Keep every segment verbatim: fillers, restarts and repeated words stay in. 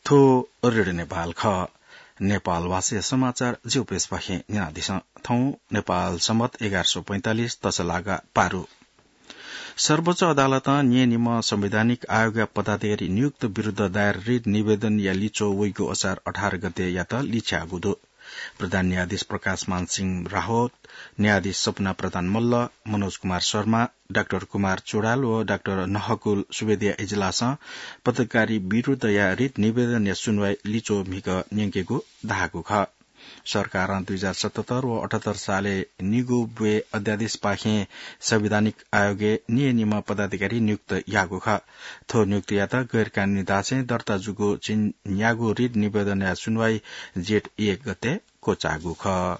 थ्व रेडियो नेपाल खः। नेपाल भाषाया समाचार ज्यू पेशपाखें न्यनादिसँ। थौं नेपाल सम्बत एघार सय पैंतालिस तसलागा पारु। सर्वोच्च अदालतं न्यय् निम्ह संवैधानिक आयोगया पदाधिकारी नियुक्त विरुद्ध दायर रिट निवेदनया लिच्वः वइगु असार अठार गते यात लिछ्याःगु दु। प्रधान न्यायाधीश प्रकाशमान सिंह राहोत, न्यायाधीश सपना प्रधान मल्ल, मनोज कुमार शर्मा, डाक्टर कुमार चुडाल व डाक्टर नहकुल सुवेदीया इजलासं पदाधिकारी विरुद्धया रिट निवेदनया सुनवाई लिच्वः म्हिगः न्यंकेगु धाःगु खः। सरकारं दुई हजार सतहत्तर व अठहत्तर सालय् निगू ब्वय् अध्यादेशपाखें संवैधानिक आयोगय् न्यय् निम्ह पदाधिकारी नियुक्त याःगु खः। थ्व नियुक्तियात गैरकानूनी धासें दर्ता जूगु झिंन्यागू रिट निवेदनया सुनवाई जेठ एक गते क्वचाःगु खः।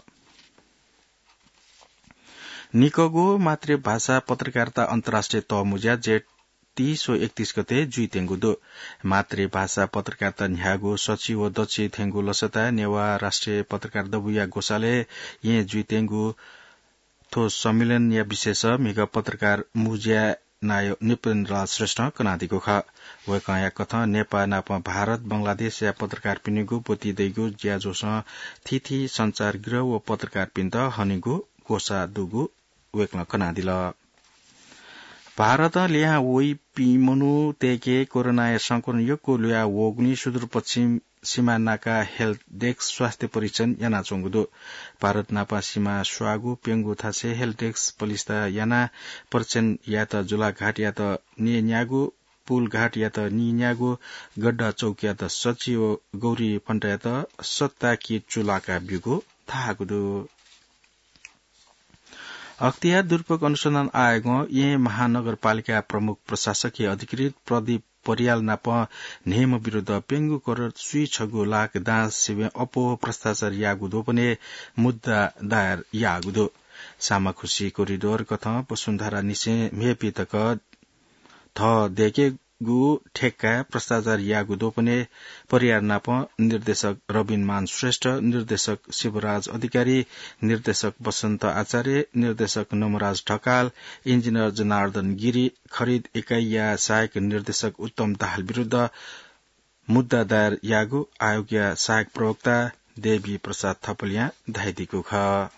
निकःगु मातृभाषा पत्रकारिता अन्तर्राष्ट्रिय तःमुँज्या जेठ तीस व एकतीस गते जुइत्यंगु दु। मातृभाषा पत्रकारिता न्ह्याःगु सछि व दछि थेंगु लसताय् नेवाः राष्ट्रिय पत्रकार दबूया ग्वसालय् येँ जुइत्यंगु थ्व सम्मेलनया विषयस म्हिगः पत्रकार मुँज्या नायः नृपेन्द्रलाल श्रेष्ठं कनादीगु खः। वय्कःया कथं नेपाः नाप भारत, बंगलादेशया पत्रकारपिनिगु ब्वति दइगु ज्याझ्वलं थीथी सञ्चारगृह व पत्रकारपिन्त हनेगु ग्वसाः दुगु वय्कलं कनादिल। भारतं लिहां वइपिं मनूतय्के कोरोनाया संक्रमण यक्व ल्हुया वःगुलिं सुदूरपश्चिम सीमा नाका हेल्प डेस्क स्वास्थ्य परीक्षण यानाच्वंगु दु। भारत नापं सीमा स्वाःगु प्यंगू थासय् हेल्प डेस्क पलिस्था यानाः परीक्षण यायेत जुलाघाटयात नीन्यागू, पुलघाटयात नीन्यागू, गड्डा चौकयात सछि व गौरी फन्टायात सत्ता किट चुलाका ब्यूगु धाःगु दु। अख्तियार दुरुपयोग अनुसन्धान आयोगं येँ महानगरपालिका प्रमुख प्रशासकीय अधिकृत प्रदीप परियाल नाप न्हय्म्ह विरुद्ध प्यंगू करोड स्वीछगू लाख दां सिबें अप्वः भ्रष्टाचार याःगु द्वपनय् मुद्दा दायर याःगु दु। सामाखुसी कोरिडोर कथं वसुन्धरानिसें म्हेपी तक थः दय्केगु ठेक्काय् भ्रष्टाचार याःगु द्वपनय् परियार नाप निर्देशक रबिन मान श्रेष्ठ, निर्देशक शिवराज अधिकारी, निर्देशक वसन्त आचार्य, निर्देशक नमराज ढकाल, इन्जिनियर जनार्दन गिरी, खरिद इकाइया सहायक निर्देशक उत्तम दाहाल विरुद्ध मुद्दा दायर याःगु आयोगया सहायक प्रवक्ता देवी प्रसाद थपलियां धयादीगु खः।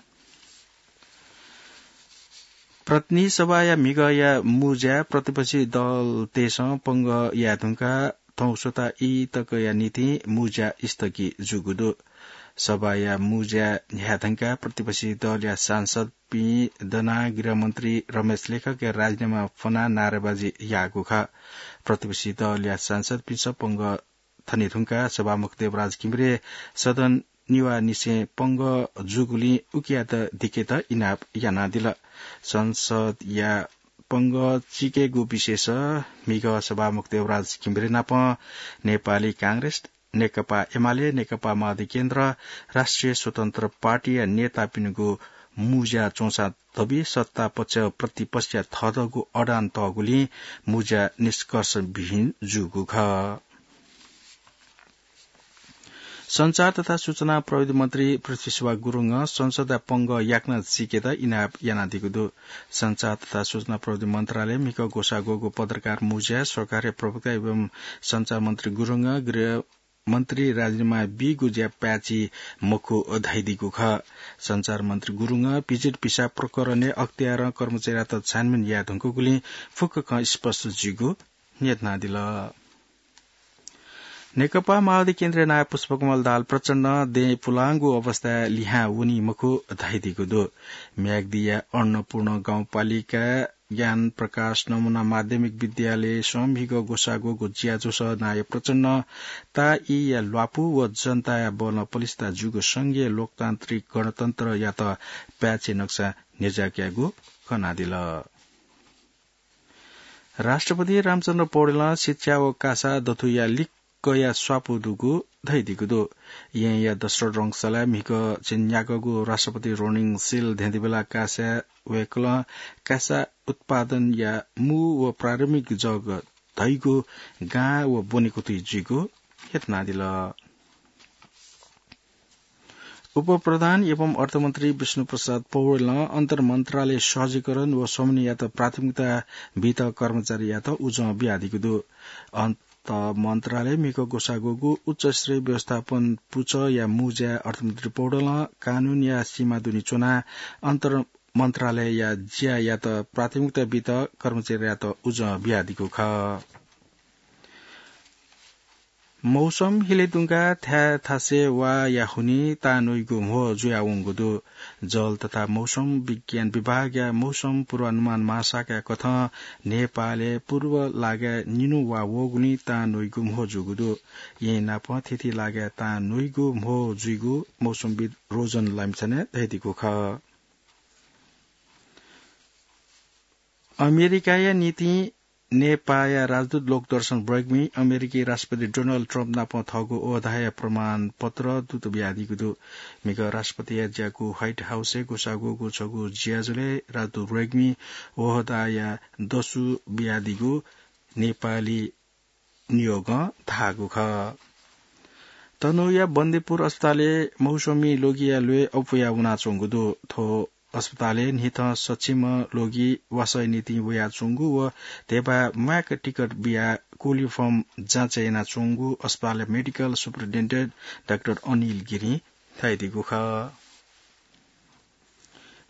प्रतिनिधि सभाया म्हिगःया मुँज्या प्रतिपक्षी दलतय्सं पंगः याये धुंकाः थौं स्वता ई तकया निंतिं मुँज्या स्थगित जूगु दु। सभाया मुँज्या न्ह्याये धुंकाः प्रतिपक्षी दलया सांसदपिं दनाः गृहमन्त्री रमेश लेखकया राजीनामा फ्वनाः नारेबाजी याःगु खः। प्रतिपक्षी दलया सांसदपिन्सं पंगः थने धुंकाः सभामुख देवराज घिमिरे सदन निवाःनिसें पंगः जूगुलिं उकियात दिकेत इनाप यानादिल। संसदया पंगः चिकेगु विषयस म्हिगः सभामुख देवराज घिमिरे नाप नेपाली कांग्रेस, नेकपा एमाले, नेकपा माओवादी केन्द्र, राष्ट्रिय स्वतन्त्र पार्टीया नेतापिनिगु मुँज्या च्वंसां धबी सत्ता पक्ष प्रतिपक्षया थःतःगु अडान तःगुलिं मुँज्या निष्कर्षविहीन जूगु खः। सञ्चार तथा सूचना प्रविधि मन्त्री पृथ्वीशुभा गुरुङं संसदया पंगः याकनं चिकेत इनाप यानादीगु दु। सञ्चार तथा सूचना प्रविधि मन्त्रालय म्हिगः ग्वसाः ग्वःगु पत्रकार मुँज्याय् सरकारया प्रवक्ता एवं सञ्चार मन्त्री गुरुङं गृह मन्त्री राजीनामा बीगु ज्या पाय्छि मखु धयादीगु खः। सञ्चार मन्त्री गुरुङं भिजिट भिसा प्रकरणय् अख्तियारं कर्मचारीयात छानबिन याये धुंकूगुलिं फुक्क खँ स्पष्ट जुइगु न्ह्यथनादिल। नेकपा माओवादी केन्द्रया नायः पुष्पकमल दाहाल प्रचण्डं दँय् पुलांगु अवस्थाय् लिहां वनी मखु धयादीगु दु। म्याग्दीया अन्नपूर्ण गाउँपालिका ज्ञान प्रकाश नमुना माध्यमिक विद्यालयसं म्हिगः ग्वसाः ग्वःगु ज्याझ्वलय् नायः प्रचण्डं ताःईया ल्वापु व जनताया बलं पलिस्था जूगु संघीय लोकतान्त्रिक गणतन्त्रयात पाय्छि नकसा न्ह्यज्याःगु कनादिल। राष्ट्रपति रामचन्द्र पौडेलं शिक्षा व कासा दथुया लिक्कया स्वापू दुगु धयादीगु दु। येँया दशरथ रंगशालाय् म्हिगः झिंन्यागःगु राष्ट्रपति रोनिङ सिल धेंधेबेला कासाय् वय्कलं कासा उत्पादनया मू व प्रारम्भिक जग धइगु गां व ब्वनेकुथि जुइगु न्ह्यथनादिल। उपप्रधान एवं अर्थमन्त्री विष्णुप्रसाद पौडेलं अन्तर्मन्त्रालय सहजीकरण व समन्वययात प्राथमिकता बीत कर्मचारीयात उजं बियादीगु दु। अन-, त मन्त्रालय म्हिगः ग्वसाः ग्वःगु उच्च स्तरीय व्यवस्थापन पुचःया मुँज्याय् अर्थमन्त्री पौडेलं कानूनया सीमा दुने च्वनाः अन्तर मन्त्रालयया ज्यायात प्राथमिकता बीत कर्मचारीयात उजं बियादीगु खः। मौसम हिले दुंकाः थाय् थासय् वाःया हुनिं तां न्वइगु म्हो जुयावंगु दु। जल तथा मौसम विज्ञान विभागया मौसम पूर्वानुमान महाशाखाया कथं नेपालय् पूर्व लागाय् निन्हु वा वःगुलिं तां न्वइगु म्हो जूगु दु। येँ नाप थीथी लागाय् तां न्वइगु म्हो जुइगु मौसमविद रोजन लामिछानें धयादीगु खः। अमेरिकाया निंतिं नेपाःया राजदूत लोकदर्शन ब्रेग्मी अमेरिकी राष्ट्रपति डोनाल्ड ट्रम्प नाप थःगु ओहदाया प्रमाणपत्र दूत बियादीगु दु। म्हिगः राष्ट्रपतिया ज्याकू व्हाइट हाउसय् ग्वसाः ग्वःगु छगू ज्याझ्वलय् राजदूत ब्रेग्मी ओहदाया दसु बियादीगु नेपाली नियोगं धाःगु खः। तनहुँया बन्देपुर अस्पतालय् मौसमी लोगिया ल्वय् अप्वया वनाच्वंगु दु। थ्व अस्पतालय् न्हिथं सक्षम लोगि वासःया निंतिं वयाच्वंगु व धिबा म्वाय्क टिकट बियाः कोलिफर्म जाँचय् यानाच्वंगु अस्पतालया मेडिकल सुपरिन्टेन्डेन्ट डाक्टर अनिल गिरिं धयादीगु खः।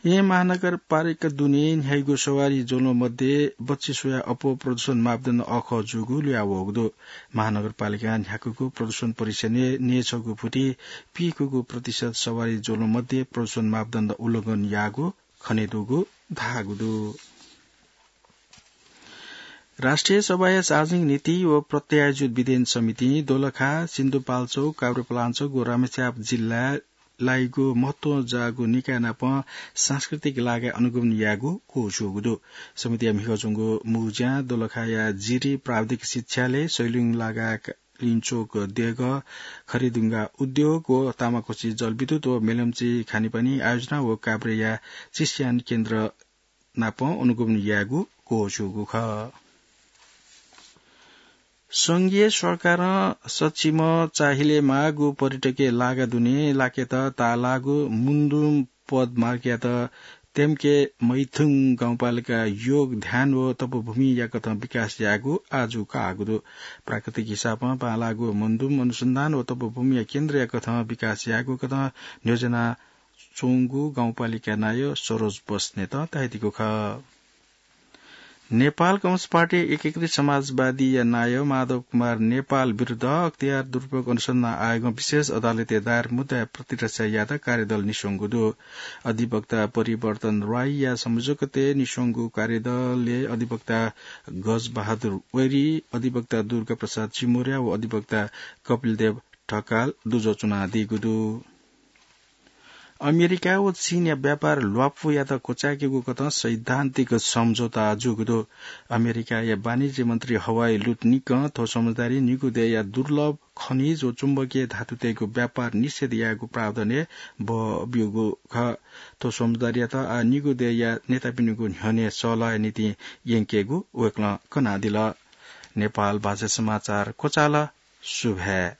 येँ महानगरपालिका दुने न्ह्याइगु सवारी ज्वलं मध्ये बच्छि स्वयाः अप्वः प्रदूषण मापदण्ड अःखः जूगु ल्हुयावःगु दु। महानगरपालिकां न्ह्याकूगु प्रदूषण परीक्षणय् न्यय्छगू फुति पीकूगु प्रतिशत सवारी ज्वलं मध्ये प्रदूषण मापदण्ड उल्लंघन याःगु खनेदुगु धाःगु दु। राष्ट्रिय सभाया सार्वजनिक नीति व प्रत्यायोजित विधेयन समितिं दोलखा, सिन्धुपाल्चोक, काभ्रेपलाञ्चोक व रामेछाप जिल्लाय् लाइगु महत्वं जाःगु निकाय नाप सांस्कृतिक लागाय् अनुगमन यायेगु क्वःछ्यूगु दु। समितिया म्हिगः च्वंगु मुँज्यां दोलखाया जिरी प्राविधिक शिक्षालय, सैलुङ लागाय् लिञ्चोक देगः, खरिदुंगा उद्योग व तामाकोसी जलविद्युत व मेलम्ची खानेपानी आयोजना व काभ्रेया चिस्यान केन्द्र नाप अनुगमन यायेगु क्वःछ्यूगु खः। संघीय सरकारं सक्षम चाहिलेमाःगु पर्यटकीय लागा दुने लाकेत ताःलाःगु मुन्दुम पदमार्गयात तेम्के मैथुङ गाउँपालिका योग ध्यान व तपोभूमिया कथं विकास यायेगु आजु काःगु दु। प्राकृतिक हिसाबं बांलाःगु मुन्दुम अनुसन्धान व तपोभूमिया केन्द्रया कथं विकास यायेगु कथं न्ह्यज्याना च्वंगु गाउँपालिका नायः सरोज बस्नेतं धयादीगु खः। नेपाल कम्युनिस्ट पार्टी एकीकृत समाजवादीया नायः माधव कुमार नेपाल विरुद्ध अख्तियार दुरुपयोग अनुसन्धान आयोगं विशेष अदालतय् दायर मुद्दाया प्रतिरक्षा यायेत कार्यदल निस्वंगु दु। अधिवक्ता परिवर्तन राईया संयोजकत्वय् निस्वंगु कार्यदलय् अधिवक्ता गजबहादुर वैरी, अधिवक्ता दुर्गाप्रसाद चिमुर्या व अधिवक्ता कपिलदेव ढकाल दुजः च्वनादीगु दु। अमेरिका व चीनया व्यापार ल्वापुयात क्वचाय्केगु कथं सैद्धान्तिक सम्झौता जूगु दु। अमेरिकाया वाणिज्य मन्त्री हवाई लुटनिकं थ्व सम्झौतारी निगू देय्या दुर्लभ खनिज व चुम्बकीय धातुतय्गु व्यापार निषेध यायेगु प्रावधानय् बः ब्यूगु खः। थ्व सम्झौतायात आः निगू देय्या नेतापिनिगु न्ह्यःने सल्लाहया निंतिं यंकेगु वय्कलं कनादिल। नेपाल भाषा समाचार क्वचाल। सुभाय्।